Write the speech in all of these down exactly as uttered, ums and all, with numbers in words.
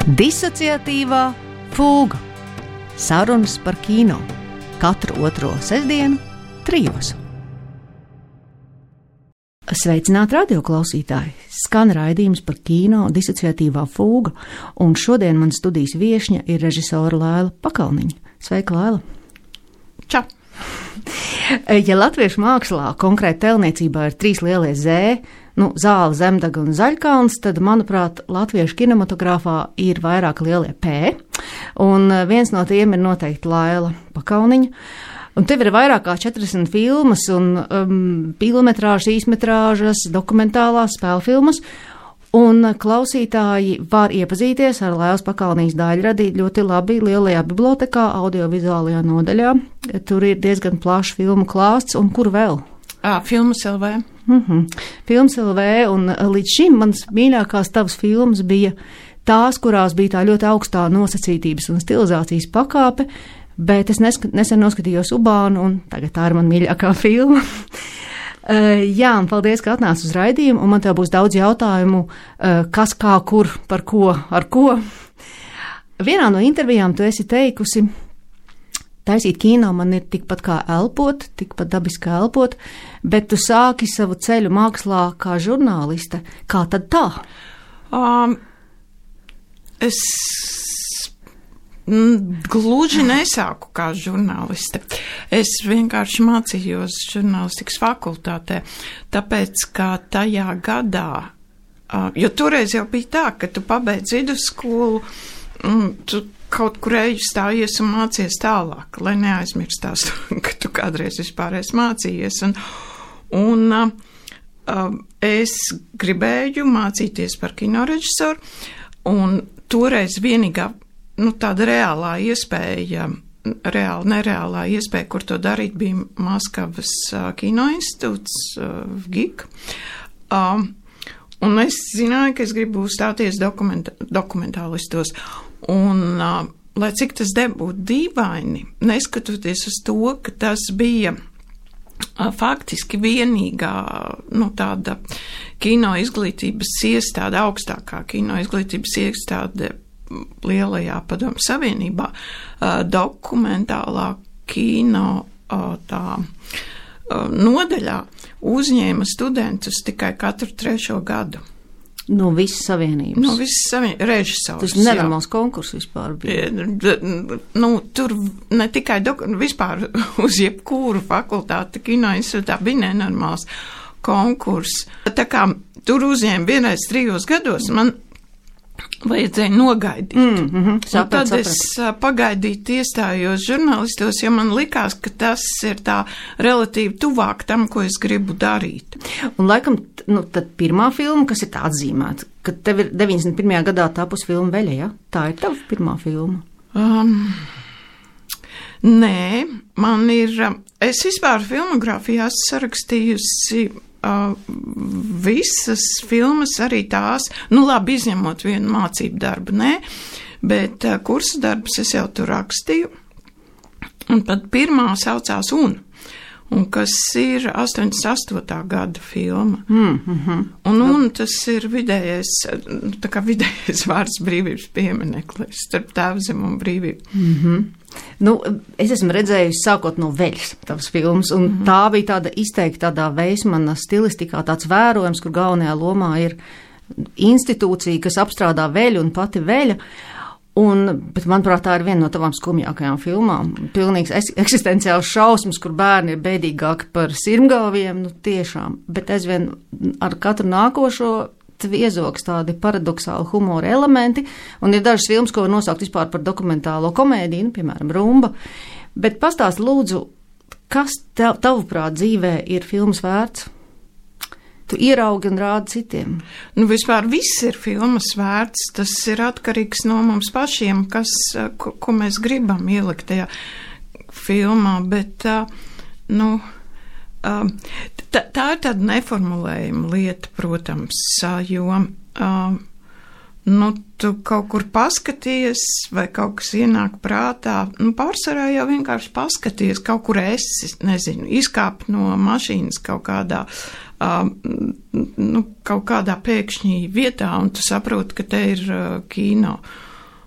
Disociatīvā fūga. Sarunas par kino. Katru otro sestdienu, trijos. Sveicināti radioklausītāji! Skan raidījums par kino Disociatīvā fūga, un šodien man studijas viešņa ir režisora Laila Pakalniņa. Sveika, Laila! Čau! Ja latviešu mākslā konkrēti tēlniecībā ir trīs lielie zē, nu, Zāle, Zemdaga un Zaļkalns, tad, manuprāt, latviešu kinematogrāfā ir vairāk lielie P, un viens no tiem ir noteikti Laila Pakalniņa. Un tev ir vairāk kā četrdesmit filmas un um, pilnmetrāžas, īsmetrāžas, dokumentālās spēlfilmas, un klausītāji var iepazīties ar Lailas Pakalniņas daļradi ļoti labi lielajā bibliotekā, audiovizuālajā nodaļā. Tur ir diezgan plašs filmu klāsts, un kur vēl? À, Filmas L V. Mm-hmm. Filmas L V, un līdz šim mans mīļākās tavas filmas bija tās, kurās bija tā ļoti augstā nosacītības un stilizācijas pakāpe, bet es nesk- nesen noskatījos Ubānu, un tagad tā ir man mīļākā filma. uh, jā, un paldies, ka atnāc uz raidījumu, un man tev būs daudz jautājumu, uh, kas, kā, kur, par ko, ar ko. Vienā no intervijām tu esi teikusi, taisīt kino man ir tikpat kā elpot, tikpat dabiski kā elpot, bet tu sāki savu ceļu mākslā kā žurnāliste. Kā tad tā? Um, es gluži nesāku kā žurnāliste. Es vienkārši mācījos žurnālistikas fakultātē, tāpēc, ka tajā gadā, uh, jo toreiz jau bija tā, ka tu pabeidz vidusskolu, un tu kaut kur eju stājies un mācies tālāk, lai neaizmirstās, ka tu kādreiz vispār esi mācījies. Un, un uh, uh, es gribēju mācīties par kinorežisoru, un toreiz vienīgā, nu, tāda reālā iespēja, reāla, nereālā iespēja, kur to darīt, bija Maskavas uh, kinoinstitūts, uh, G I K. Uh, un es zināju, ka es gribu stāties dokumenta, dokumentālistos. Un, uh, lai cik tas nebūtu dīvaini, neskatoties uz to, ka tas bija uh, faktiski vienīgā, nu, tāda kino izglītības iestāde, augstākā kino izglītības iestāde lielajā Padomju Savienībā, uh, dokumentālā kino uh, tā uh, nodaļā uzņēma studentus tikai katru trešo gadu. No visas savienības. No visas savienības režisors. Tas nenormāls konkurss vispār bija. Nu, tur ne tikai doku, vispār uz jebkuru fakultāti kino institūtā bija nenormāls konkurss. Tā kā tur uzņēma vienreiz trijos gados, man vajadzēja nogaidīt. Mm, mm-hmm. Saprat, tad saprat. Es pagaidīt iestājos žurnālistos, jo man likās, ka tas ir tā relatīvi tuvāk tam, ko es gribu darīt. Un laikam, nu, tad pirmā filma, kas ir tā atzīmēta, ka tev ir deviņdesmit pirmajā gadā tapus filma Veļa, ja? Tā ir tava pirmā filma? Um, nē, man ir, es vispār filmogrāfijā sarakstījusi Uh, visas filmas, arī tās, nu labi, izņemot vienu mācību darbu, nē, bet uh, kursu darbus es jau tur rakstīju, un pat pirmā saucās Un, un kas ir astoņdesmit astotā gada filma. Mm, mm-hmm. Un Un tas ir vidējais, tā kā vidējais vārds brīvības piemineklis starp Tēvzemi un brīvību. Mm-hmm. Nu, es esmu redzējusi sākot no Veļas tavas filmas, un mm-hmm. tā bija tāda izteikta tādā Veismana stilistikā, tāds vērojums, kur galvenajā lomā ir institūcija, kas apstrādā Veļu un pati Veļa. Un, bet, manuprāt, tā ir viena no tavām skumjākajām filmām. Pilnīgs eksistenciāls šausmas, kur bērni ir bēdīgāki par sirmgalviem, nu tiešām. Bet aizvien ar katru nākošo tviezoks tādi paradoxāli humora elementi, un ir dažas filmas, ko var nosaukt vispār par dokumentālo komēdiju, nu, piemēram, Rumba. Bet pastāst lūdzu, kas tev, tavuprāt dzīvē ir filmas vērts? Tu ieraugi un rādi citiem. Nu, vispār viss ir filmas vērts, tas ir atkarīgs no mums pašiem, kas, ko, ko mēs gribam ielikt tajā filmā, bet, nu, tā, tā ir tāda neformulējuma lieta, protams, jo, nu, tu kaut kur paskaties, vai kaut kas ienāk prātā, nu, pārsvarā jau vienkārši paskaties, kaut kur esi, nezinu, izkāp no mašīnas kaut kādā, uh, nu, kaut kādā pēkšņī vietā, un tu saproti, ka te ir uh, kino.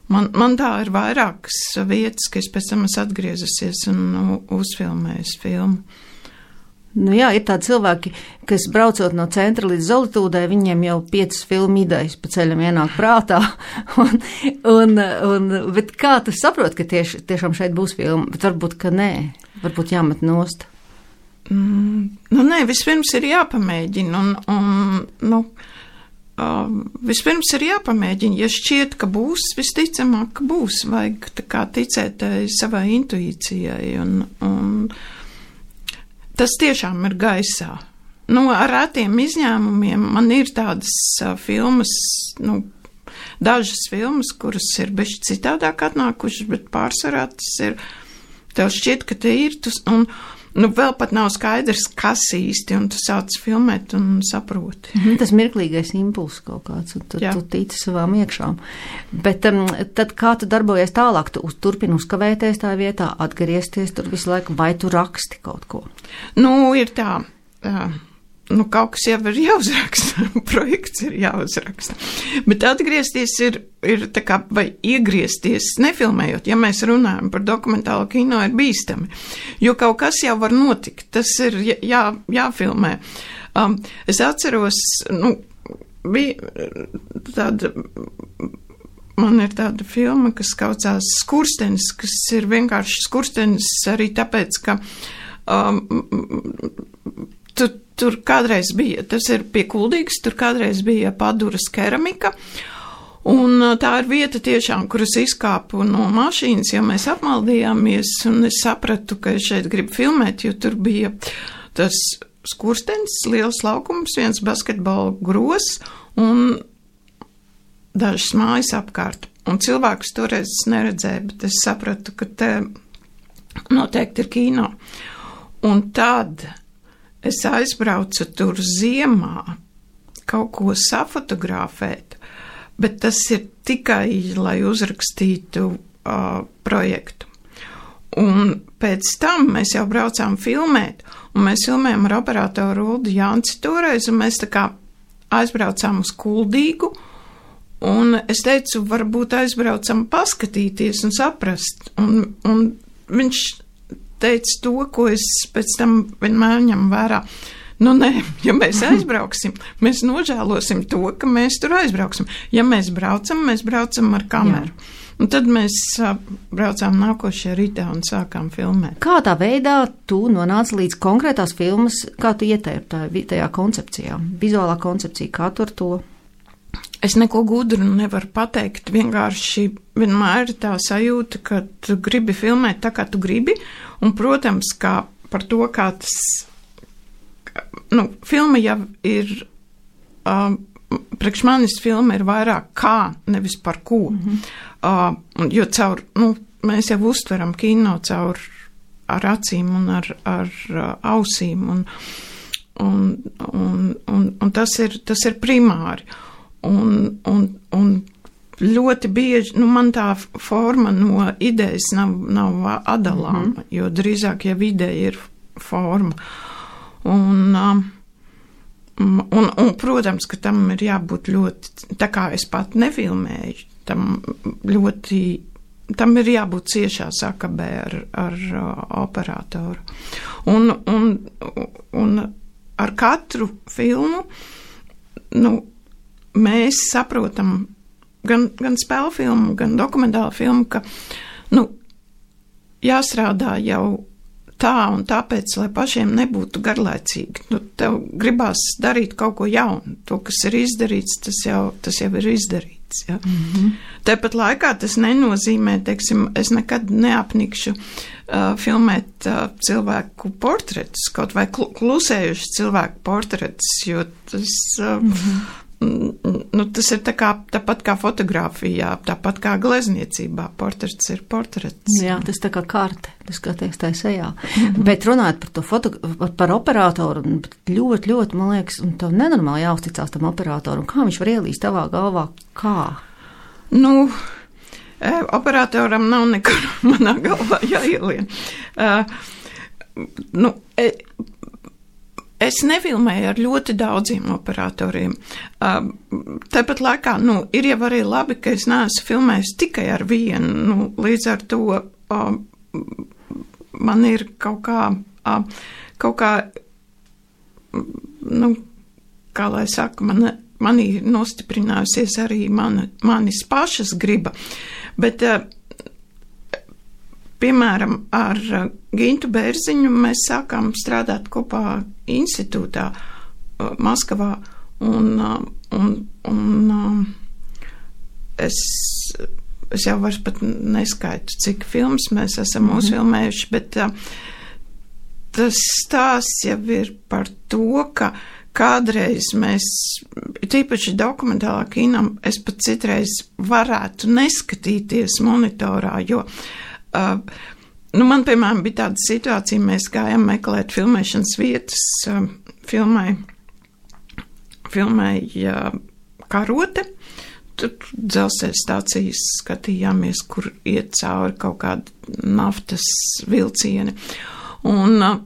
Man, man tā ir vairākas vietas, ka es pēc tam esmu atgriezusies un nu, uzfilmējis filmu. Nu jā, ir tādi cilvēki, kas braucot no centra līdz Zolitūdai, viņiem jau piecas filmu idejas pa ceļam ienāk prātā. un, un, un, bet kā tu saproti, ka tieši, tiešām šeit būs filma? Bet varbūt, ka nē, varbūt jāmet nost. Mm, nu nē, vispirms ir jāpamēģina un, un nu, uh, vispirms ir jāpamēģina. Ja šķiet, ka būs, visticamāk, ka būs, vajag tā kā ticēt savai intuīcijai un, un tas tiešām ir gaisā. Nu, ar rētiem izņēmumiem man ir tādas uh, filmas, nu, dažas filmas, kuras ir beši citādāk atnākušas, bet pārsvarā tas ir, tev šķiet, ka te ir, tu, un, nu, vēl pat nav skaidrs, kas īsti, un tu sāc filmēt un saproti. Mm, tas mirklīgais impulss kaut kāds, un tu, tu tici savām iekšām. Bet um, tad kā tu darbojies tālāk? Tu turpini uzkavēties tā vietā, atgriezties tur visu laiku, vai tu raksti kaut ko? Nu, ir tā, uh, nu, kaut kas jau ir jāuzraksta, projekts ir jāuzraksta. Bet atgriezties ir, ir tā kā, vai iegriezties nefilmējot, ja mēs runājam par dokumentālo kino, ir bīstami. Jo kaut kas jau var notikt, tas ir jā, jāfilmē. Um, es atceros, nu, bija tāda, man ir tāda filma, kas saucās Skurstenis, kas ir vienkārši skurstenis arī tāpēc, ka um, tu, tur kādreiz bija, tas ir pie Kuldīgas, tur kādreiz bija Paduras keramika, un tā ir vieta tiešām, kuras izkāpu no mašīnas, jo mēs apmaldījāmies, un es sapratu, ka es šeit gribu filmēt, jo tur bija tas skurstenis, liels laukums, viens basketbola gros, un dažas mājas apkārt. Un cilvēkus toreiz neredzēju, bet es sapratu, ka te noteikti ir kino. Un tad es aizbraucu tur ziemā kaut ko safotografēt, bet tas ir tikai, lai uzrakstītu uh, projektu. Un pēc tam mēs jau braucām filmēt, un mēs filmējām ar operatoru Uldu Janci toreiz, un mēs tā kā aizbraucām uz Kuldīgu, un es teicu, varbūt aizbraucam paskatīties un saprast, un, un viņš teica to, ko es pēc tam vienmēr ņem vērā. Nu, nē, ja mēs aizbrauksim, mēs nožēlosim to, ka mēs tur aizbrauksim. Ja mēs braucam, mēs braucam ar kameru. Jā. Un tad mēs uh, braucām nākošajā rītā un sākām filmēt. Kā tā veidā tu nonāci līdz konkrētās filmas, kā tu ietērpi tajā koncepcijā, vizuālā koncepcija, kā tu ar to? Es neko gudru nevaru pateikt, vienkārši vienmēr ir tā sajūta, ka tu gribi filmēt tā, kā tu gribi, un, protams, kā par to, kā tas, nu, filma jau ir, um, priekš manis filma ir vairāk kā, nevis par ko, mm-hmm. uh, jo caur, nu, mēs jau uztveram kino caur ar acīm un ar, ar uh, ausīm, un, un, un, un, un tas ir, tas ir primāri. Un, un, un ļoti bieži, nu, man tā forma no idejas nav, nav atdalāma, mm-hmm. jo drīzāk jau ideja ir forma. Un, um, un, un, protams, ka tam ir jābūt ļoti, tā kā es pat nefilmēju, tam ļoti, tam ir jābūt ciešā sakabē ar, ar uh, operatoru. Un, un, un ar katru filmu, nu, mēs saprotam gan, gan spēļu filmu, gan dokumentālu filmu, ka, nu, jāstrādā jau tā un tāpēc, lai pašiem nebūtu garlaicīgi. Nu, tev gribās darīt kaut ko jaunu. To, kas ir izdarīts, tas jau, tas jau ir izdarīts. Ja? Mm-hmm. Tāpat laikā tas nenozīmē, teiksim, es nekad neapnikšu uh, filmēt uh, cilvēku portretus, kaut vai klusējuši cilvēku portretus, jo tas... Uh, mm-hmm. Nu, tas ir tā kā, tāpat kā fotografijā, tāpat kā glezniecībā. Portrets ir portrets. Jā, tas tā kā karte, tas kā teiks tā sejā. Mm-hmm. Bet runājot par to foto, par operatoru, ļoti, ļoti, man liekas, un tev nenormāli jāuzticās tam operatoram. Kā viņš var ielīst tavā galvā? Kā? Nu, operatoram nav nekur manā galvā jāielien. Uh, nu, e, es nefilmēju ar ļoti daudziem operatoriem. Uh, tāpat laikā, nu, ir jau arī labi, ka es neesmu filmējis tikai ar vienu, nu, līdz ar to uh, man ir kaut kā, uh, kaut kā, nu, kā lai saka, man, man ir nostiprinājusies arī mana, manis pašas griba, bet, uh, piemēram, ar Gintu Bērziņu mēs sākām strādāt kopā institūtā Maskavā, un, un, un es, es jau vairs pat neskaitu, cik filmas mēs esam mm-hmm. uzfilmējuši, bet tas stāsts jau ir par to, ka kādreiz mēs, tīpaši dokumentālā kinam, es pat citreiz varētu neskatīties monitorā, jo Uh, nu man, piemēram, bija tāda situācija, mēs gājām meklēt filmēšanas vietas, uh, filmai, filmai uh, Karote, tur dzelzceļa stācijas skatījāmies, kur iet cauri kaut kāda naftas vilcieni, un uh,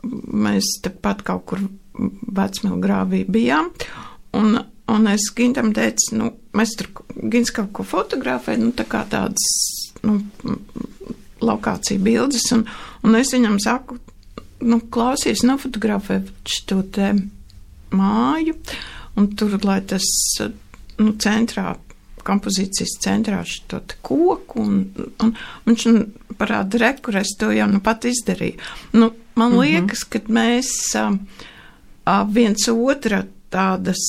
mēs tepat kaut kur Vecmilgrāvī bijām, un, un es Gintam teicu, nu, mēs tur, Gins kaut ko fotografē, nu, tā kā tādas, nu, lokācija bildes, un, un es viņam saku, nu, klausies, nofotografē šo te māju, un tur, lai tas, nu, centrā, kompozīcijas centrā šo te koku, un, un, un viņš parāda rekur, es to jau nu pat izdarīju. Nu, man mm-hmm. liekas, ka mēs a, a, viens otra tādas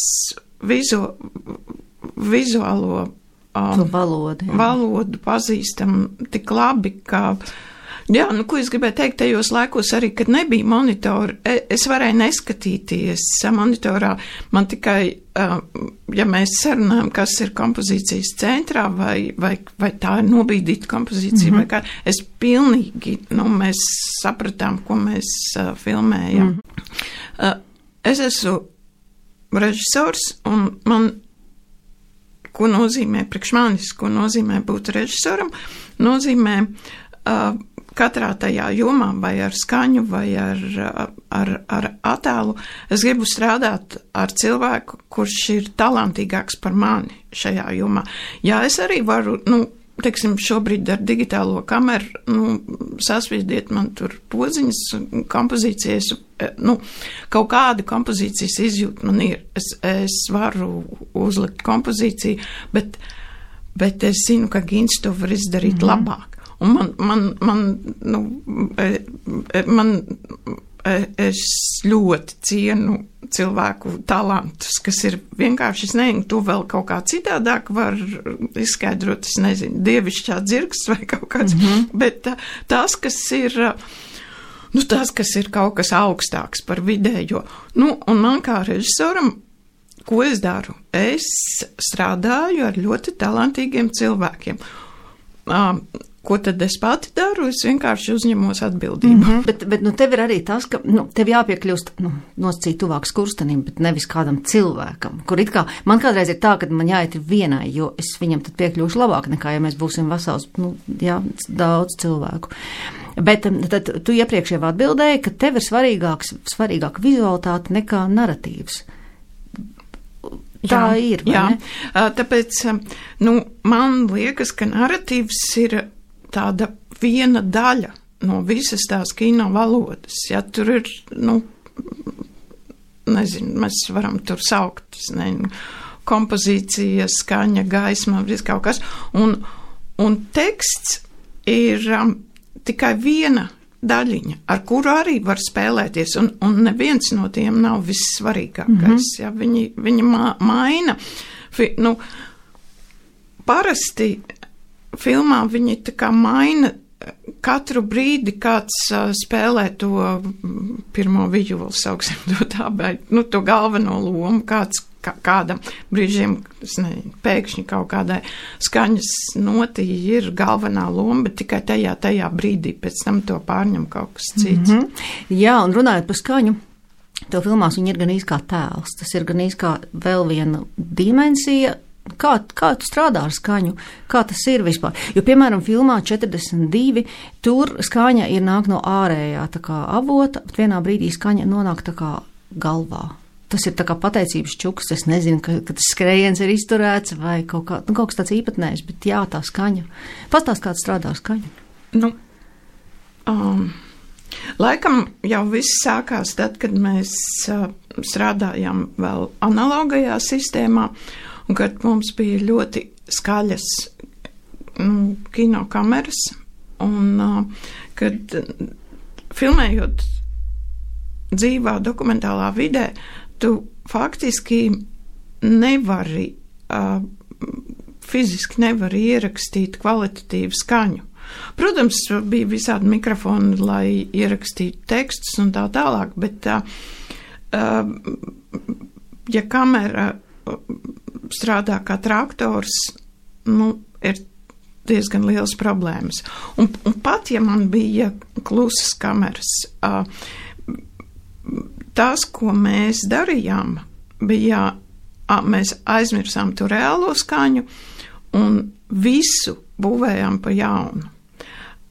vizu, vizuālo Um, valodu, jā. valodu pazīstam tik labi, ka, jā, nu, ko es gribēju teikt, tajos laikos arī, kad nebija monitori, es varēju neskatīties monitorā, man tikai, ja mēs sarunājam, kas ir kompozīcijas centrā, vai, vai, vai tā ir nobīdīta kompozīcija, mm-hmm. vai kā, es pilnīgi, nu, mēs sapratām, ko mēs uh, filmējam. Mm. Uh, es esmu režisors, un man ko nozīmē priekš manis, ko nozīmē būt režisoram, nozīmē uh, katrā tajā jomā, vai ar skaņu, vai ar, ar, ar attēlu. Es gribu strādāt ar cilvēku, kurš ir talantīgāks par mani šajā jomā. Jā, es arī varu, nu, teiksim, šobrīd ar digitālo kameru, nu, sasviediet man tur podziņas, kompozīcijas, nu, kaut kāda kompozīcijas izjūta man ir. Es, es varu uzlikt kompozīciju, bet, bet es zinu, ka Gins to var izdarīt mm-hmm. labāk. Un man, man, man, nu, man, es ļoti cienu cilvēku talantus, kas ir vienkārši, es nezinu, to vēl kaut kā citādāk var izskaidrot, es nezinu, dievišķā dzirksts vai kaut kāds, mm-hmm. bet tas, kas ir, nu, tas, kas ir kaut kas augstāks par vidējo, nu, un man kā režisoram, ko es daru? Es strādāju ar ļoti talantīgiem cilvēkiem. Um, Ko tad es pati daru? Es vienkārši uzņemos atbildību. Mm-hmm. Bet, bet nu, tev ir arī tas, ka nu, tev jāpiekļūst nu, nosacīt tuvāk skurstenim, bet nevis kādam cilvēkam. Kur it kā, man kādreiz ir tā, ka man jāiet vienai, jo es viņam tad piekļūšu labāk nekā, ja mēs būsim vesels, nu, jā, daudz cilvēku. Bet tad tu iepriekš jau atbildēji, ka tev ir svarīgāks, svarīgāk vizualitāte nekā naratīvs. Tā jā, ir, vai jā. Ne? Tāpēc, nu, man liekas, ka naratīvs ir tāda viena daļa no visas tās kino valodas. Ja tur ir, nu, nezinu, mēs varam tur saukt, nezinu, kompozīcija, skaņa, gaisma, viss kaut kas. Un, un teksts ir um, tikai viena daļiņa, ar kuru arī var spēlēties, un, un neviens no tiem nav vissvarīgākais. Mm-hmm. Ja, viņi, viņi ma- maina. Fi, nu, parasti filmā viņi tā kā maina katru brīdi, kāds uh, spēlē to pirmo viļu, sauksim to tā, bet, nu, to galveno lomu, kāds kā, kādam brīžiem, es nezinu, pēkšņi kaut kādai skaņas notī ir galvenā loma, bet tikai tajā, tajā brīdī, pēc tam to pārņem kaut kas cits. Mm-hmm. Jā, un runājot par skaņu, to filmās viņi ir gan īsti kā tēls, tas ir gan īsti kā vēl viena dimensija. Kā, kā tu strādā ar skaņu? Kā tas ir vispār? Jo, piemēram, filmā četrdesmit divi tur skaņa ir nāk no ārējā tā kā avota, bet vienā brīdī skaņa nonāk tā kā galvā? Tas ir tā kā pateicības čuks, es nezinu, ka, ka tas skrējiens ir izturēts vai kaut, kā, nu, kaut kas tāds īpatnējs, bet jā, tā skaņa. Pastāst, kāds strādā skaņa? Nu, um, laikam jau viss sākās tad, kad mēs uh, strādājām vēl analogajā sistēmā, un kad mums bija ļoti skaļas nu, kinokameras, un uh, kad filmējot dzīvā dokumentālā vidē, tu faktiski nevari, uh, fiziski nevari ierakstīt kvalitatīvu skaņu. Protams, bija visādi mikrofoni, lai ierakstītu tekstus un tā tālāk, bet uh, uh, ja kamera strādā kā traktors, nu, ir diezgan liels problēmas. Un, un pat, ja man bija klusas kameras, uh, tas, ko mēs darījām, bija, a, mēs aizmirsām to reālo skaņu un visu būvējām pa jaunu.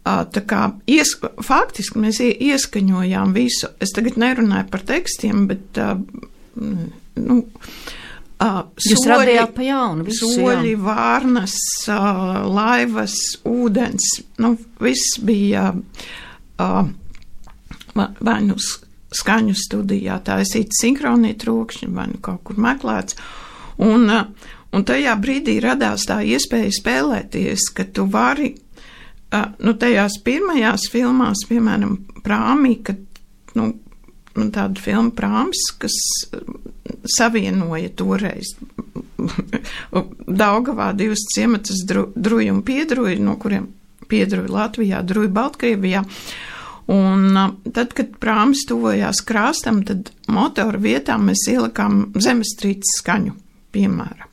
A, tā kā ies, faktiski mēs ieskaņojām visu. Es tagad nerunāju par tekstiem, bet, a, nu, a, Jūs soļi, radījāt pa jaunu visu, soļi, jā. vārnas, a, laivas, ūdens, nu, viss bija a, vai nu skaņu studijā taisīt sinhronie trokšņi vai nu kaut kur meklēts. Un, un tajā brīdī radās tā iespēja spēlēties, ka tu vari, nu, tajās pirmajās filmās, piemēram, Prāmī, kad, nu, tāda filma Prāms, kas savienoja toreiz Daugavā divas ciematas dru, druju un piedruju, no kuriem piedruju Latvijā, druju Baltkrievijā. Un tad, kad prāms tuvojās krāstam, tad motoru vietā mēs ielikām zemestrīces skaņu, piemēram.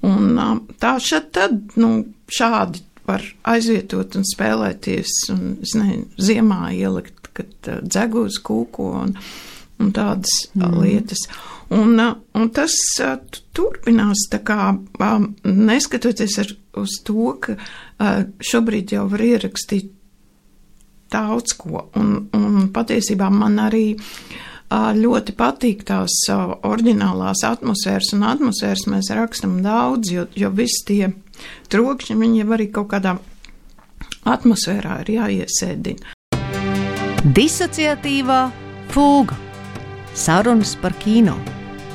Un tā šad tad, nu, šādi var aizvietot un spēlēties, un, es nezinu, ziemā ielikt, kad dzegūs kūko un, un tādas mm. lietas. Un, un tas turpinās, tā kā, neskatoties ar, uz to, ka šobrīd jau var ierakstīt daudz ko, un, un patiesībā man arī uh, ļoti patīk tās uh, oriģinālās atmosfēras, un atmosfēras mēs rakstam daudz, jo, jo visi tie trokšņi, viņi jau arī kaut kādā atmosfērā ir jāiesēdina. Disociatīvā fūga. Sarunas par kino.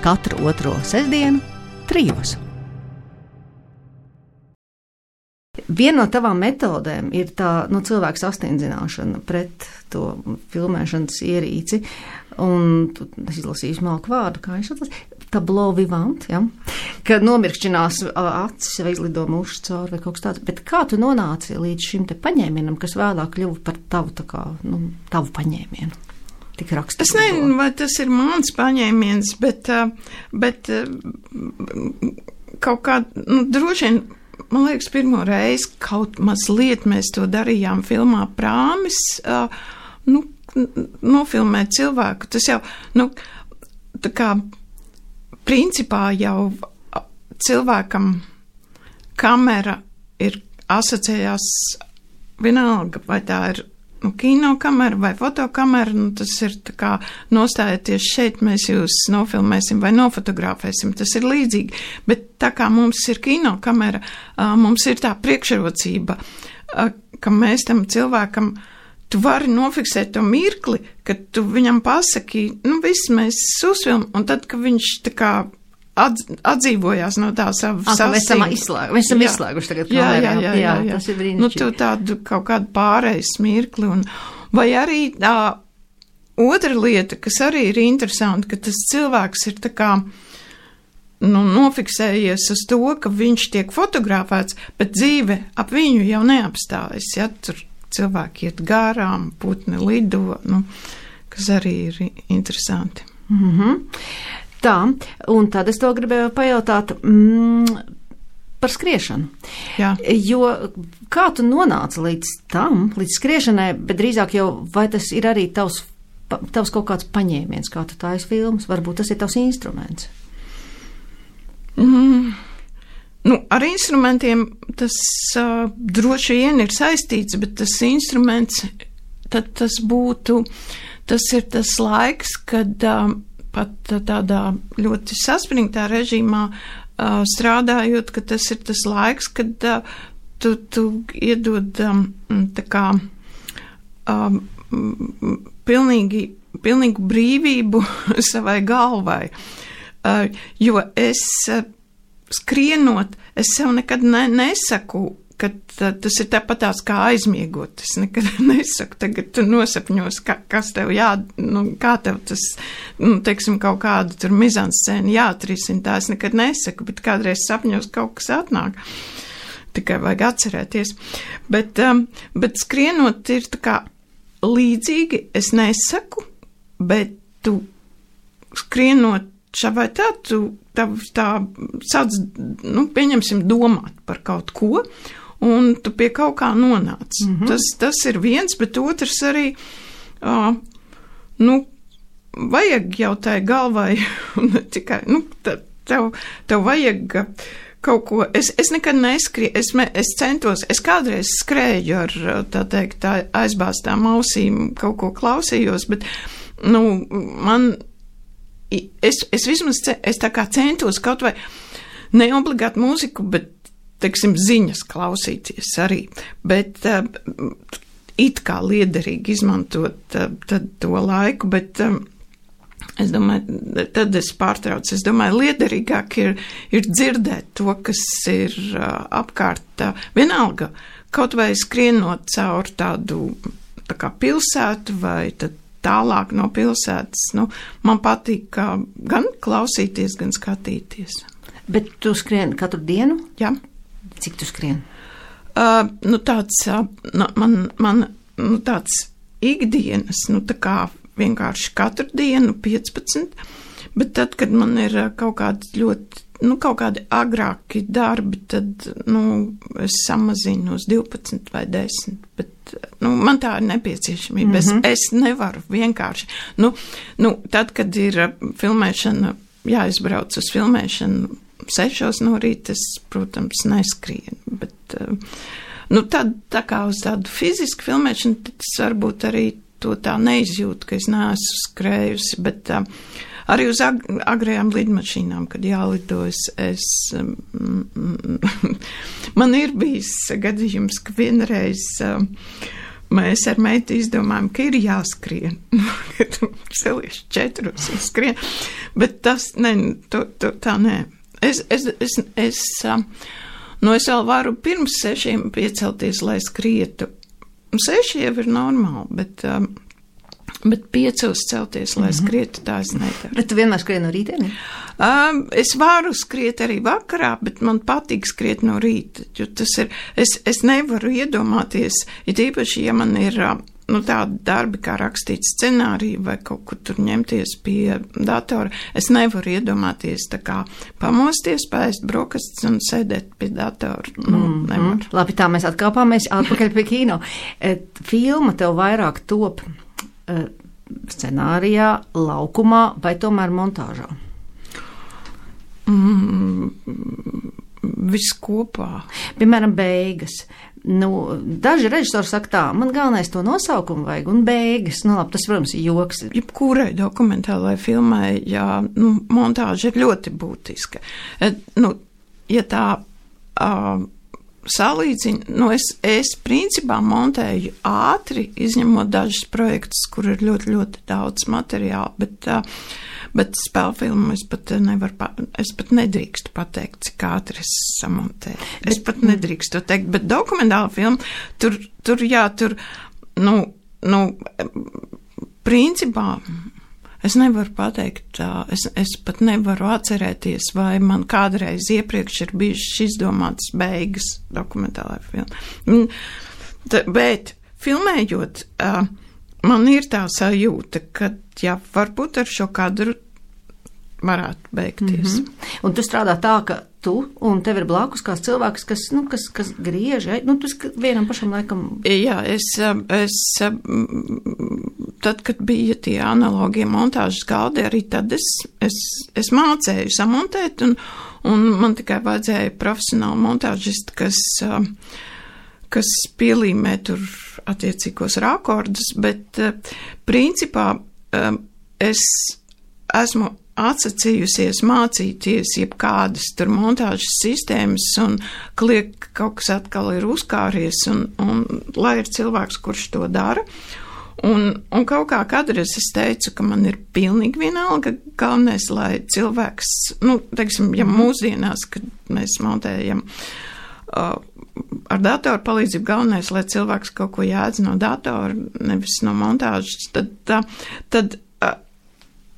Katru otro sestdienu trijos. Viena no tavām metodēm ir tā, nu, cilvēku sastindzināšana pret to filmēšanas ierīci, un es izlasīju smalku vārdu, kā viņš atlasīja, tableau vivant, ja? Kad nomirkšķinās acis vai izlido mušas cauri vai kaut kas tāds, bet kā tu nonāci līdz šim te paņēmienam, kas vēlāk kļuva par tavu, tā kā, nu, tavu paņēmienu? Tik rakstīju. Es nezinu, vai tas ir mans paņēmiens, bet, bet kaut kā, nu, droši vien, man liekas, pirmo reizi kaut mazliet mēs to darījām filmā Prāmis, uh, nu, nofilmēt cilvēku. Tas jau, nu, tā kā, principā jau cilvēkam kamera ir asociējās vienalga, vai tā ir, nu, kinokamera vai fotokamera, nu, tas ir tā kā nostājieties šeit, mēs jūs nofilmēsim vai nofotografēsim, tas ir līdzīgi, bet tā kā mums ir kinokamera, mums ir tā priekšrocība, ka mēs tam cilvēkam, tu vari nofiksēt to mirkli, kad tu viņam pasaki, nu, viss mēs uzfilm, un tad, ka viņš tā kā Atz, atdzīvojās no tā savu sasīm. Mēs esam izslēguši, mēs esam jā. izslēguši tagad kamerā. Jā, jā, jā, jā, jā. Tas ir brīnišķīgi. Nu, tu tādu kaut kādu pārējais mirkli. Un, vai arī tā otra lieta, kas arī ir interesanti, ka tas cilvēks ir tā kā, nu, nofiksējies uz to, ka viņš tiek fotografēts, bet dzīve ap viņu jau neapstājas. Ja? Tur cilvēki iet garām, putni lido, nu, kas arī ir interesanti. Mhm. Tā, un tad es to gribēju pajautāt mm, par skriešanu. Jā. Jo kā tu nonāci līdz tam, līdz skriešanai, bet drīzāk jau, vai tas ir arī tavs, tavs kaut kāds paņēmiens, kā tu taisi filmas, varbūt tas ir tavs instruments? Mm. Nu, ar instrumentiem tas uh, droši vien ir saistīts, bet tas instruments, tad tas būtu, tas ir tas laiks, kad uh, pat tādā ļoti saspringtā režīmā uh, strādājot, ka tas ir tas laiks, kad uh, tu, tu iedod um, tā kā um, pilnīgi, pilnīgu brīvību savai galvai. Uh, jo es uh, skrienot, es sev nekad ne, nesaku, ka tas ir tāpatās kā aizmiegot. Es nekad nesaku, tagad tu nosapņos, ka, kas tev jā, nu, kā tev tas, nu, teiksim, kaut kādu tur mizanscēnu jāatrisina, tā es nekad nesaku, bet kādreiz sapņos kaut kas atnāk. Tikai vajag atcerēties. Bet, um, bet skrienot ir tā kā līdzīgi, es nesaku, bet tu skrienot šā vai tā, tu tā, tā sāc, nu, pieņemsim, domāt par kaut ko, un tu pie kaut kā nonāc. Mm-hmm. Tas, tas ir viens, bet otrs arī, uh, nu, vajag jau tai galvai, un tikai, nu, tev, tev vajag kaut ko, es, es nekad neskrieju, es, es centos, es kādreiz skrēju ar, tā teikt, tā aizbāztām ausīm, kaut ko klausījos, bet, nu, man, es, es vismaz, es tā kā centos kaut vai neobligāti mūziku, bet, teiksim, ziņas klausīties arī, bet uh, it kā liederīgi izmantot uh, tad to laiku, bet um, es domāju, tad es pārtraucu, es domāju, liederīgāk ir, ir dzirdēt to, kas ir uh, apkārt, uh, vienalga, kaut vai skrienot caur tādu, tā kā pilsētu vai tad tālāk no pilsētas, nu, man patīk uh, gan klausīties, gan skatīties. Bet tu skrien katru dienu? Jā. Cik tu skrien? Uh, nu, tāds, uh, nu, man, man, nu, tāds ikdienas, nu, tā kā vienkārši katru dienu piecpadsmit, bet tad, kad man ir kaut kādi ļoti, nu, kaut kādi agrāki darbi, tad, nu, es samazinu uz divpadsmit vai desmit, bet, nu, man tā ir nepieciešamība. Mm-hmm. Es, es nevaru vienkārši, nu, nu, tad, kad ir filmēšana, jāizbrauc uz filmēšanu, sešos no rīta, es, protams, neskrienu, bet, nu, tad, tā kā uz tādu fizisku filmēšanu, tad es varbūt arī to tā neizjūtu, ka es neesmu skrējusi, bet uh, arī uz ag agrējām lidmašīnām, kad jālidojas, es, um, man ir bijis gadījums, ka vienreiz um, mēs ar meitu izdomājam, ka ir jāskrien, kad celies četros un skrien, bet tas, ne, to, to, tā nē. Es, es, es, es, nu, es vēl varu pirms sešiem piecelties, lai skrietu. Seši jau ir normāli, bet, bet piecos celties, lai skrietu, tā es nedaru. Bet tu vienmēr skrien no rītdienī? Um, es varu skriet arī vakarā, bet man patīk skriet no rīta, jo tas ir, es, es nevaru iedomāties, it īpaši, ja man ir, nu, tādi darbi, kā rakstīt scenāriju vai kaut kur tur ņemties pie datora, es nevaru iedomāties tā kā pamosties, pēst brokastis un sēdēt pie datora. Nu, mm, nevaru. Mm. Labi, tā mēs atkāpāmies atpakaļ pie kino. Filma tev vairāk top scenārijā, laukumā vai tomēr montāžā? Mm, viss kopā. Piemēram, beigas. Nu, daži režisori saka tā, man galvenais to nosaukumu vajag un beigas. Nu, labi, tas, protams, ir joks. Jebkurai dokumentālai filmai, jā, nu, montāža ir ļoti būtiska. Et, nu, ja tā uh, salīdzina, nu, es, es principā montēju ātri, izņemot dažus projektus, kur ir ļoti, ļoti daudz materiāla, bet uh, Bet spēlfilmu es pat nevaru, es pat nedrīkstu pateikt, cik ātri es samontēju. Es pat nedrīkstu to teikt, bet dokumentāla filma, tur, tur jā, tur, nu, nu, principā, es nevaru pateikt, es, es pat nevaru atcerēties, vai man kādreiz iepriekš ir bijušas izdomātas beigas dokumentālai filmai. Bet filmējot, man ir tā sajūta, ka, jā, varbūt ar šo kadru varētu beigties. Mm-hmm. Un tu strādā tā, ka tu un tev ir blakus kāds cilvēks, kas, nu, kas, kas griež, nu, tas vienam pašam laikam. Jā, es, es, tad, kad bija tie analogie montāžas galdi, arī tad es, es, es mācēju samontēt, un, un man tikai vajadzēja profesionāli montāžisti, kas, kas pielīmē tur attiecīgos rakordus, bet principā es esmu atsacījusies mācīties jebkādas tur montāžas sistēmas un kliek kaut kas atkal ir uzkāries un, un lai ir cilvēks, kurš to dara. Un, un kaut kā kādreiz es teicu, ka man ir pilnīgi vienalga galvenais, lai cilvēks, nu, teiksim, ja mūsdienās, kad mēs montējam uh, ar datoru palīdzību, galvenais, lai cilvēks kaut ko jēdz no datora, nevis no montāžas, tad, tad, tad uh,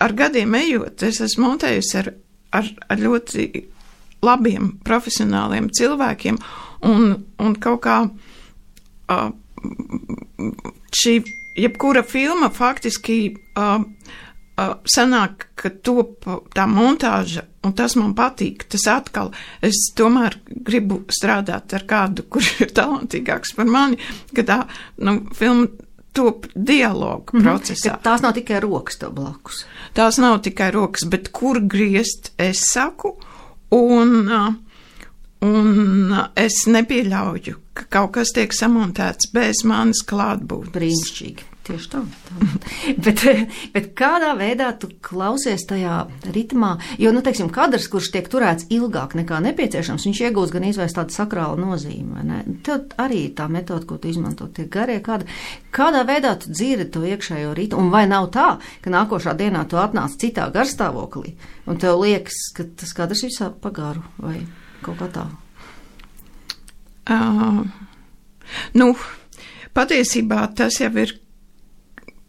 ar gadiem ejot, es esmu montējusi ar, ar, ar ļoti labiem profesionāliem cilvēkiem un, un kaut kā uh, šī jebkura filma faktiski uh, uh, sanāk, ka top tā montāža, un tas man patīk, tas atkal, es tomēr gribu strādāt ar kādu, kurš ir talantīgāks par mani, ka tā, nu, filma top dialogu mm-hmm. procesā. Ka tās nav tikai rokas tev blakus. Tās nav tikai rokas, bet kur griezt es saku, un, uh, un uh, es nepieļauju, ka kaut kas tiek samontēts bez manis klātbūt. Brīnišķīgi. Tieši tā. tā. bet, bet kādā veidā tu klausies tajā ritmā? Jo, nu, teiksim, kadrs, kurš tiek turēts ilgāk nekā nepieciešams, viņš iegūst gan izvērst tādu sakrālu nozīmi, vai ne? Tev arī tā metoda, ko tu izmanto, tie garie kadri. Kādā veidā tu dzirdi to iekšējo ritmu? Un vai nav tā, ka nākošā dienā tu atnāc citā garstāvoklī, un tev liekas, ka tas kadrs visā pagaru, vai kaut kā tā? Uh, nu, patiesībā tas jau ir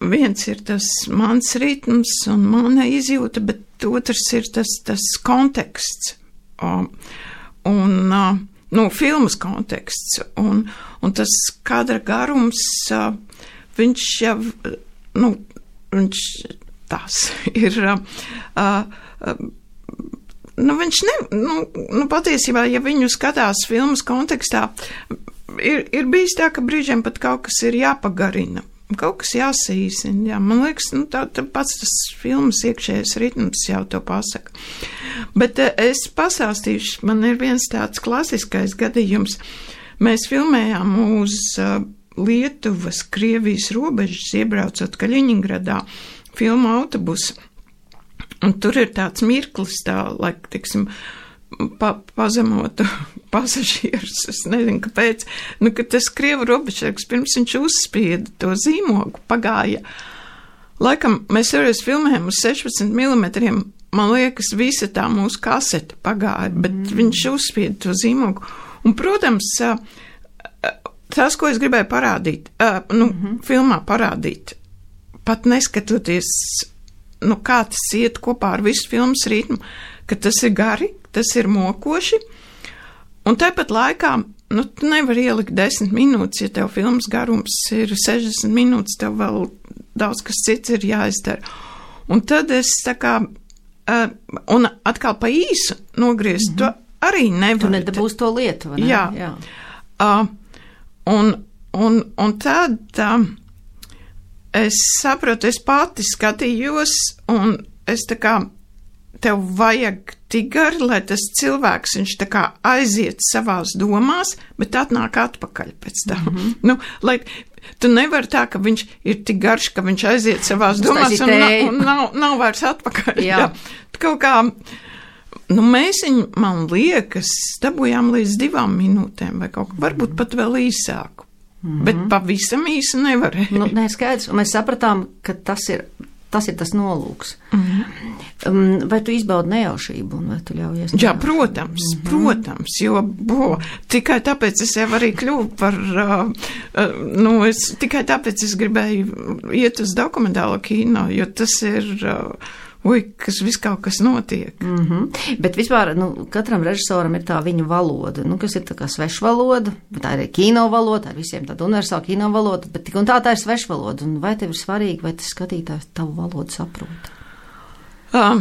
viens ir tas mans ritms un mana izjūta, bet otrs ir tas, tas konteksts, um, un, uh, nu, filmas konteksts, un, un tas kadra garums, uh, viņš jau, nu, viņš tās ir, uh, uh, nu, viņš ne, nu, nu, patiesībā, ja viņu skatās filmas kontekstā, ir, ir bijis tā, ka brīžiem pat kaut kas ir jāpagarina. Kaut kas jāsīsina, jā. Man liekas, nu, tā, tā pats tas filmas iekšējais ritms jau to pasaka. Bet es pastāstīšu, man ir viens tāds klasiskais gadījums. Mēs filmējām uz uh, Lietuvas, Krievijas robežas, iebraucot Kaļiņingradā, filmu autobusu. Un tur ir tāds mirklis, tā, lai, tiksim, pa, pazemotu pasažierus, es nezinu, kāpēc, nu, ka tas Krievu robežsargs, pirms viņš uzspieda to zīmogu, pagāja. Laikam, mēs reiz filmējam uz sešpadsmit milimetriem, man liekas, visa tā mūsu kasete pagāja, bet mm. viņš uzspieda to zīmogu. Un, protams, tas, ko es gribēju parādīt, nu, mm-hmm. filmā parādīt, pat neskatoties, nu, kā tas iet kopā ar visu filmas ritmu, ka tas ir gari, tas ir mokoši, un tāpat laikā, nu, tu nevar ielikt desmit minūtes, ja tev filmas garums ir sešdesmit minūtes, tev vēl daudz kas cits ir jāizdara. Un tad es tā kā, uh, un atkal pa īsu nogriezt, mm-hmm. to arī nevar. Tu nedabūs to lietu, vai ne? Jā. Jā. Uh, un, un, un tad uh, es saprotu, es pati skatījos, un es tā kā, tev vajag tik gari, lai tas cilvēks, viņš tā kā aiziet savās domās, bet atnāk atpakaļ pēc tam. Mm-hmm. Nu, lai tu nevari tā, ka viņš ir tik garš, ka viņš aiziet savās domās un, na, un nav, nav vairs atpakaļ. Jā. Jā. Kaut kā, nu, mēs viņu, man liekas, dabūjām līdz divām minūtēm vai kaut kā, varbūt pat vēl īsāku. Mm-hmm. Bet pavisam īsi nevarēja. Nu, nē, skaidrs, un mēs sapratām, ka tas ir Tas ir tas nolūks. Mm-hmm. Um, vai tu izbaudi nejaušību un vai tu ļaujies? Jā, protams, mm-hmm. protams, jo, bo, tikai tāpēc es jau arī kļuvu par, uh, uh, nu, es, tikai tāpēc es gribēju iet uz dokumentālo kino, jo tas ir, uh, ui, kas viss kaut kas notiek. Mm-hmm. Bet vispār, nu, katram režisoram ir tā viņa valoda, nu, kas ir tā kā svešvaloda, bet tā ir kino valoda, tā ir visiem tāda universāla kino valoda, bet tik un tā tā ir svešvaloda, un vai tev ir svarīgi, vai tas skatītājs tavu valodu saprot? Um,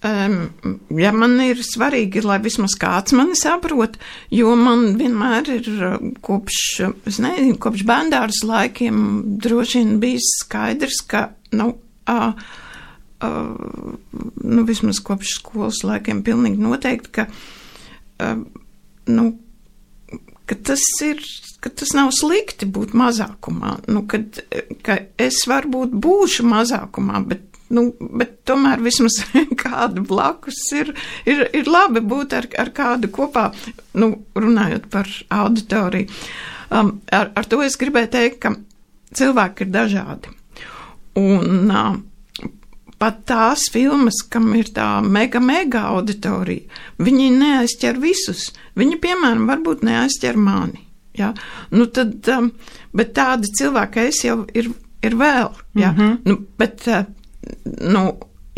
um, ja man ir svarīgi, lai vismaz kāds mani saprot, jo man vienmēr ir kopš, es nezinu, kopš bērndāras laikiem droši vien bijis skaidrs, ka, nu, uh, Uh, nu, vismaz kopš skolas laikiem pilnīgi noteikti, ka, uh, nu, ka tas ir, ka tas nav slikti būt mazākumā, nu, kad, ka es varbūt būšu mazākumā, bet, nu, bet tomēr vismaz kādu blakus ir, ir, ir labi būt ar, ar kādu kopā, nu, runājot par auditoriju. Um, ar, ar to es gribēju teikt, ka cilvēki ir dažādi. Un uh, pat tās filmas, kam ir tā mega, mega auditorija, viņi neaizķer visus. Viņi, piemēram, varbūt neaizķer mani. Ja? Nu tad, um, bet tādi cilvēki es jau ir, ir vēl. Ja? Mm-hmm. Nu, bet, uh, nu,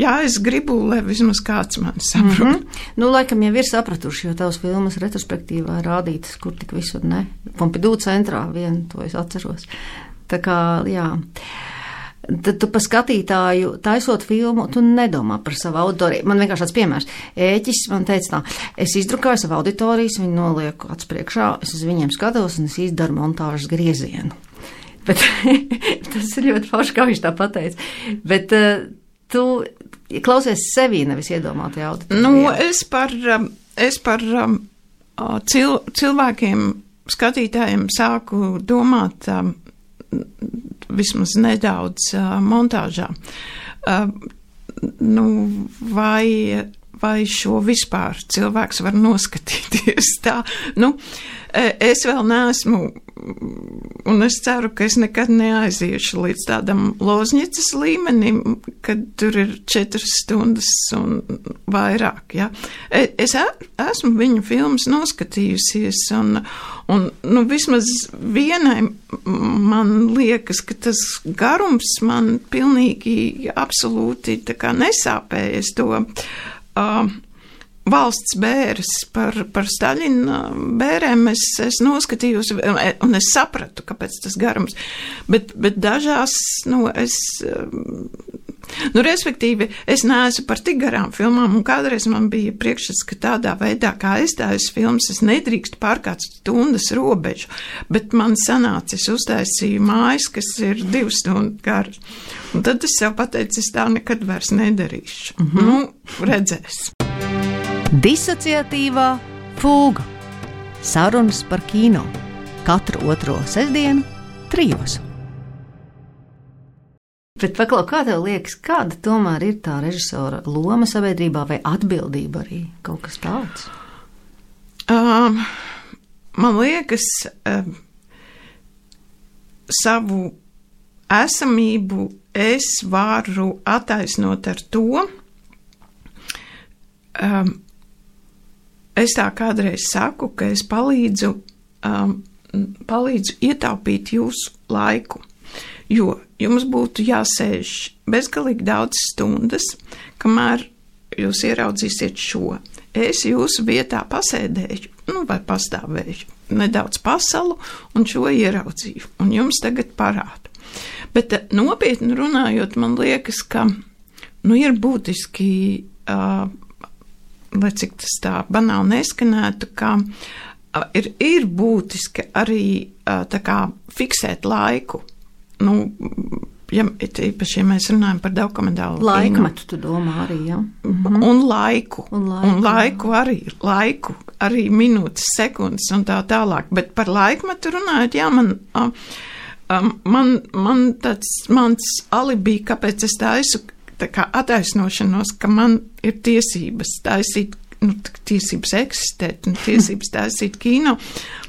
jā, es gribu, lai vismaz kāds mani saprot. Mm-hmm. Nu, laikam jau ir sapratuši, jo tavas filmas retrospektīvā rādītas, kur tik visur ne. Pompidou centrā vienu, to es atceros. Tā kā, jā. Tad tu pa skatītāju taisot filmu, tu nedomā par savu auditoriju. Man vienkārši tāds piemērs. Ēķis man teica tā, es izdrukāju savu auditorijas, viņu nolieku acs priekšā, es uz viņiem skatos un es izdaru montāžas griezienu. Bet tas ir ļoti forši, kā viņš tā pateica. Bet uh, tu klausies sevī, nevis iedomāti auditoriju. Nu, es par, es par um, cil, cilvēkiem, skatītājiem sāku domāt um, vismaz nedaudz uh, montāžā. Uh, nu, vai, vai šo vispār cilvēks var noskatīties tā? Nu, es vēl neesmu, un es ceru, ka es nekad neaiziešu līdz tādam Lozņicas līmenim, kad tur ir četras stundas un vairāk, ja. Es esmu viņu filmas noskatījusies, un, un nu, vismaz vienai man liekas, ka tas garums man pilnīgi absolūti tā kā nesāpēja. Es to uh, valsts bēres par, par Staļina bērēm es, es noskatījos, un es sapratu, kāpēc tas garums. Bet, bet dažās, nu, es, nu, respektīvi, es neesmu par tik garām filmām, un kādreiz man bija priekšstats, ka tādā veidā, kā es tājas filmas, es nedrīkst pārkāpt stundas robežu, bet man sanāca, es uztaisīju mājas, kas ir divu stundu garas. Un tad es sev pateicu, es tā nekad vairs nedarīšu. Mm-hmm. Nu, redzēs. Disociatīvā fūga. Sarunas par kino. Katru otro sestdienu trijos. Bet paklau, kā tev liekas, kāda tomēr ir tā režisora loma sabiedrībā vai atbildība arī? Kaut kas tāds? Um, man liekas, um, savu esamību es varu attaisnot ar to, um, es tā kādreiz saku, ka es palīdzu, um, palīdzu ietaupīt jūsu laiku, jo jums būtu jāsēž bezgalīgi daudz stundas, kamēr jūs ieraudzīsiet šo. Es jūsu vietā pasēdēju, nu vai pastāvēju, nedaudz pasalu un šo ieraudzīju, un jums tagad parādu. Bet nopietni runājot, man liekas, ka nu, ir būtiski, uh, lai cik tas tā banāli neskanētu, ka uh, ir, ir būtiski arī uh, tā kā fiksēt laiku. Nu, ja, īpaši, ja mēs runājam par dokumentālu laikmetu, tu domā arī, ja? Mhm. Un laiku. Un laiku, un laiku arī, laiku, arī minūtes, sekundes un tā tālāk. Bet par laikmetu runājot, jā, man, uh, um, man, man tāds mans alibi, kāpēc es taisu tā kā attaisnošanos, ka man ir tiesības taisīt, nu, tiesības eksistēt, un tiesības taisīt kino,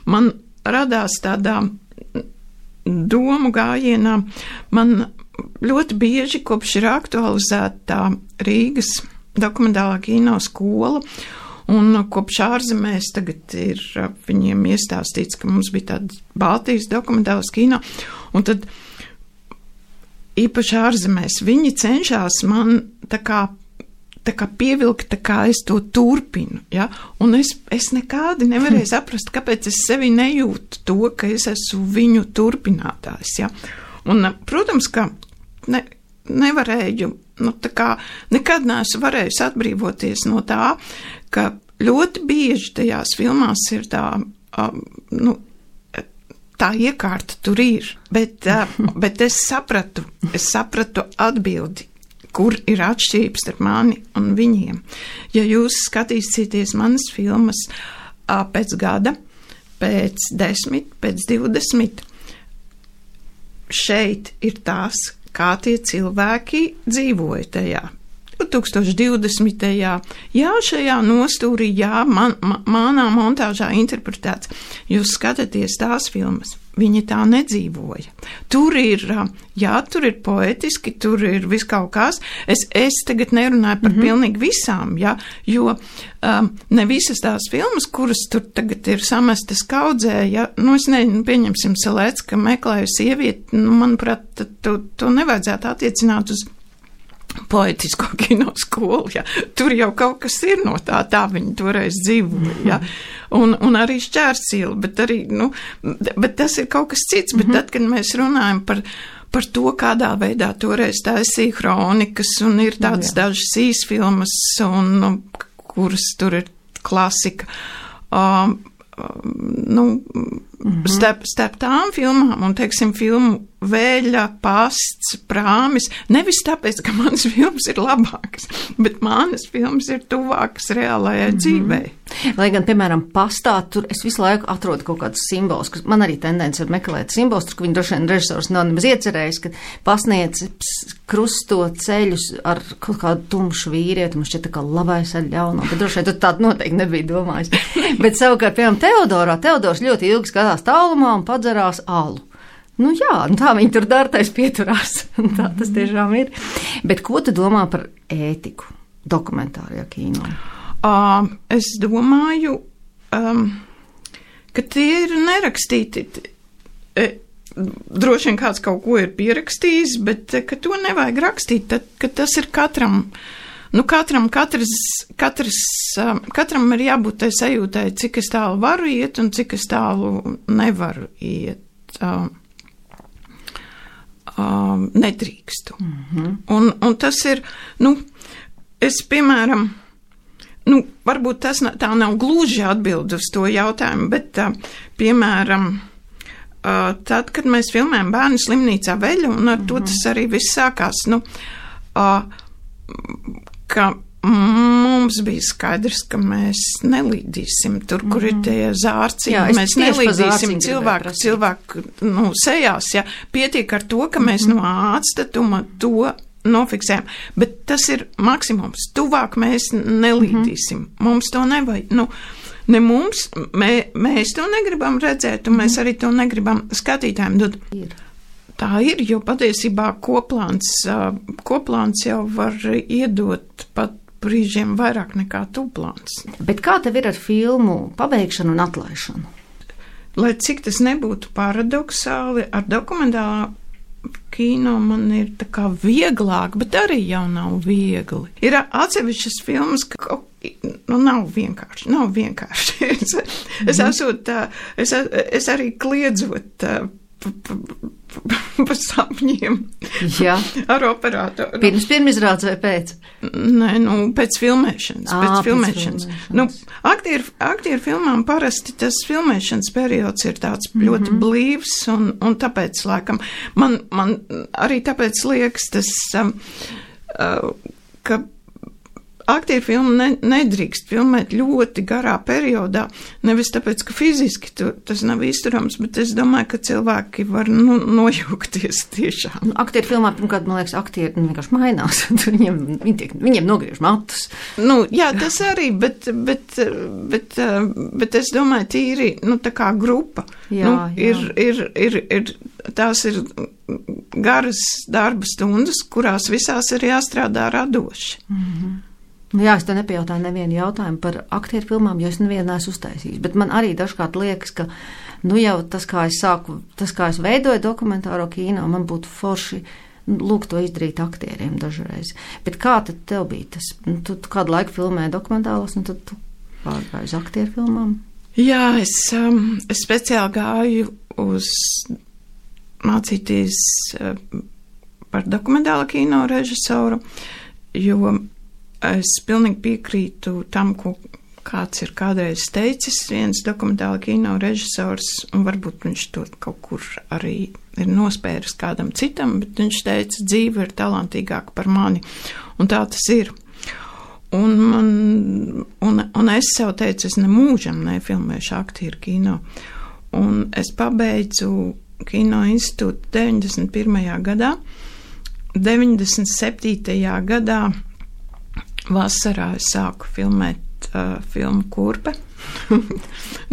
man radās tādā domu gājienā. Man ļoti bieži kopš ir aktualizēta Rīgas dokumentālā kino skola, un kopš ārzemēs tagad ir viņiem iestāstīts, ka mums bija tāda Baltijas dokumentālās kino, un tad īpaši ārzemēs viņi cenšas man tā kā, tā kā pievilkt, tā kā es to turpinu, ja, un es, es nekādi nevarēju saprast, kāpēc es sevi nejūtu to, ka es esmu viņu turpinātājs, ja, un, protams, ka ne, nevarēju, nu, tā kā nekad neesmu varējusi atbrīvoties no tā, ka ļoti bieži tajās filmās ir tā, um, nu, tā iekārta tur ir, bet, uh, bet es sapratu, es sapratu atbildi, kur ir atšķirības starp mani un viņiem. Ja jūs skatīsieties manas filmas uh, pēc gada, pēc desmit, pēc divdesmit, šeit ir tās, kā tie cilvēki dzīvoja tajā divtūkstoš divdesmitajā Jā, šajā nostūrī, jā, man, man, manā montāžā interpretēts. Jūs skatāties tās filmas, viņi tā nedzīvoja. Tur ir, jā, tur ir poetiski, tur ir viss kaut kas. Es, es tagad nerunāju par mm-hmm. pilnīgi visām, jā, jo um, ne visas tās filmas, kuras tur tagad ir samestas kaudzē, jā, nu es nezinu, pieņemsim Selecka meklēju sievieti, nu, manuprāt, to, to nevajadzētu attiecināt uz poetisko kino skolu, ja. Tur jau kaut kas ir no tā, tā viņi toreiz dzīvoja, ja. Un, un arī Šķērsila, bet arī, nu, bet tas ir kaut kas cits, bet tad, kad mēs runājam par, par to, kādā veidā toreiz taisīja kronikas, un ir tādas Jā. dažas īsfilmas, un, nu, kuras tur ir klasika, um, nu, mm-hmm. starp, starp tām filmām un, teiksim, filmu Vēļa, Pasts, Prāmis, nevis tāpēc, ka manas filmas ir labākas, bet manas filmas ir tuvākas reālajai mm-hmm. dzīvei. Lai gan, piemēram, Pastā, tur es visu laiku atrodu kaut kādus simbolus, kas man arī tendence ir meklēt simbolus, tur, ka viņi droši vien režisors nav nemaz iecerējis, ka pasniedz krusto ceļus ar kaut kādu tumšu vīrieti, man šķiet tā kā labais ar ļauno, bet droši vien tur tādu noteikti nebija domājis. Bet savukārt, piemēram, Teodorā, Teodors ļoti ilgi skatās tālumā un padzerās alu. Nu jā, tā viņi tur dartais pieturās, tā tas tiešām ir. Bet ko tu domā par ētiku dokumentārajā kino? Uh, es domāju, um, ka tie ir nerakstīti. E, droši vien kāds kaut ko ir pierakstījis, bet ka to nevajag rakstīt, tad, ka tas ir katram. Nu, katram, katrs, katrs, um, katram ir jābūt tai sajūtai, cik es tālu varu iet un cik es tālu nevaru iet. Um, um, nedrīkstu. Mm-hmm. Un, un tas ir, nu, es, piemēram, nu, varbūt tas tā nav gluži atbild uz to jautājumu, bet, uh, piemēram, uh, tad, kad mēs filmējam Bērnu slimnīcā Veļu, un ar mm-hmm. to tas arī viss sākās, nu, uh, ka mums bija skaidrs, ka mēs nelīdīsim tur, kur mm-hmm. ir tie zārciņi. Jā, mēs nelīdīsim cilvēku, cilvēku, nu, sejās, ja. Pietiek ar to, ka mēs mm-hmm. no atstatuma to nofiksējam. Bet tas ir maksimums. Tuvāk mēs nelīdīsim. Mm-hmm. Mums to nevajag, nu, ne mums, mē, mēs to negribam redzēt, un mm-hmm. mēs arī to negribam skatītājiem dot. Ir. Tā ir, jo patiesībā koplāns, koplāns jau var iedot pat brīžiem vairāk nekā tūplāns. Bet kā tev ir ar filmu pabeigšanu un atlaišanu? Lai cik tas nebūtu paradoxāli, ar dokumentālā kino man ir tā kā vieglāk, bet arī jau nav viegli. Ir atsevišķas filmas, ka nu, nav vienkārši, nav vienkārši. es, mm-hmm. es, esot, es, es arī kliedzot pa, pa, pa sapņiem. Jā. Ar operātoru. Pirms pirmizrādes vai pēc? Nē, nu, pēc filmēšanas. À, pēc filmēšanas. Pēc filmēšanas. Nu, aktieru, aktieru filmām parasti tas filmēšanas periods ir tāds mm-hmm. ļoti blīvs, un, un tāpēc, laikam, man, man arī tāpēc liekas tas, um, uh, ka aktieru filmu ne, nedrīkst filmēt ļoti garā periodā, nevis tāpēc, ka fiziski tu, tas nav izturams, bet es domāju, ka cilvēki var nu, nojūgties tiešām. Aktieru filmā, pirmkārt, man liekas, aktieri nu, vienkārši mainās, viņiem, viņi tiek, viņiem nogriež matus. Nu, jā, tas arī, bet, bet, bet, bet es domāju, tīri, nu, tā kā grupa. Jā, nu, jā. Ir, ir, ir, ir, tās ir garas darba stundas, kurās visās ir jāstrādā radoši. Mhm. Jā, es te nepajautāju nevienu jautājumu par aktieru filmām, jo es nevienu neesmu uztaisījis, bet man arī dažkārt liekas, ka, nu jau tas, kā es sāku, tas, kā es veidoju dokumentāro kino, man būtu forši, lūk, to izdarīt aktieriem dažreiz. Bet kā tad tev bija tas? Nu, tu, tu kādu laiku filmēji dokumentālos, un tad tu pārgāji uz aktieru filmām? Jā, es, um, es speciāli gāju uz mācīties uh, par dokumentālo kino režisoru, jo es pilnīgi piekrītu tam, ko kāds ir kādreiz teicis, viens dokumentāla kino režisors, un varbūt viņš to kaut kur arī ir nospēris kādam citam, bet viņš teica, dzīve ir talantīgāka par mani, un tā tas ir. Un, man, un, un es sev teicu, es nemūžam nefilmēšu aktieru kino, un es pabeidzu kino institūtu deviņdesmit pirmajā gadā, deviņdesmit septītajā gadā vasarā es sāku filmēt uh, filmu Kurpe.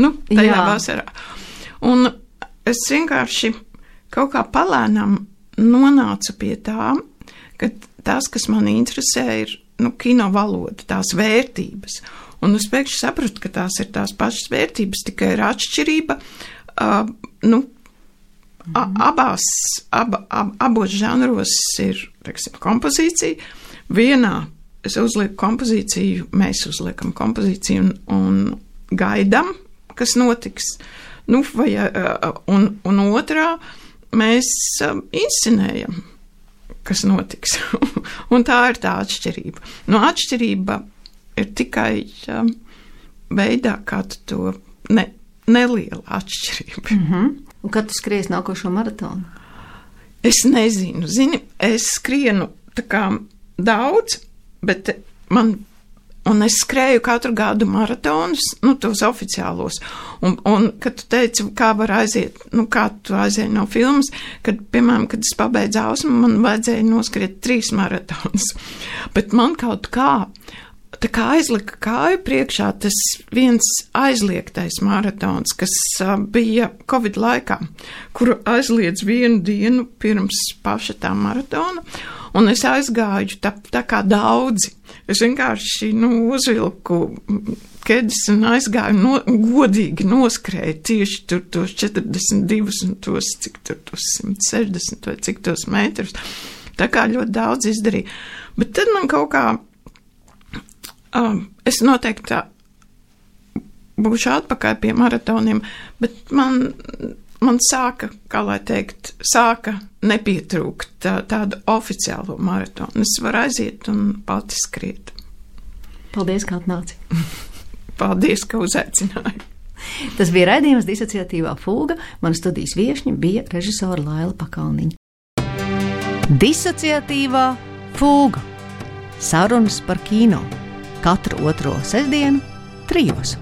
nu, tajā Jā. vasarā. Un es vienkārši kaut kā palēnām nonācu pie tā, ka tās, kas man interesē, ir nu, kino valoda, tās vērtības. Un es pēkšņi sapratu, ka tās ir tās pašas vērtības, tikai ir atšķirība. Uh, nu, a, abās, aba, ab, abos žanros ir, teiksim, kompozīcija. Vienā es uzlieku kompozīciju, mēs uzliekam kompozīciju un, un gaidam, kas notiks. Nu, vai, uh, un, un otrā mēs uh, inscenējam, kas notiks. Un tā ir tā atšķirība. Nu, atšķirība ir tikai um, veidā, kā tu to ne, neliela atšķirība. Mm-hmm. Un kad tu skries nākošo maratonu? Es nezinu. Zini, es skrienu tā kā daudz, bet man, un es skrēju katru gadu maratonus, nu, tos oficiālos. Un, un kad tu teici, kā var aiziet, nu, kā tu aizēji no filmas, kad, piemēram, kad es pabeidzu Ausmu, man vajadzēja noskriet trīs maratonus. Bet man kaut kā, tā kā aizlika kāju priekšā tas viens aizliegtais maratons, kas uh, bija Covid laikā, kuru aizliedz vienu dienu pirms paša tā maratona, un es aizgāju tā, tā kā daudzi. Es vienkārši, nu, uzvilku kedis un aizgāju, no, godīgi noskrēju tieši tur tos četrdesmit divus un tos, cik tur tos simt sešdesmit vai cik tos metrus. Tā kā ļoti daudz izdarīju. Bet tad man kaut kā, um, es noteikti tā būšu atpakaļ pie maratoniem, bet man, man sāka, kā lai teikt, sāka nepietrūkt tā, tādu oficiālo maratonu. Es varu aiziet un pati skriet. Paldies, ka atnāci. Paldies, ka uzaicināji. Tas bija raidījums Disociatīvā fūga. Mana studijas viešņa bija režisora Laila Pakalniņa. Disociatīvā fūga. Sarunas par kino. Katru otro sestdienu trijos.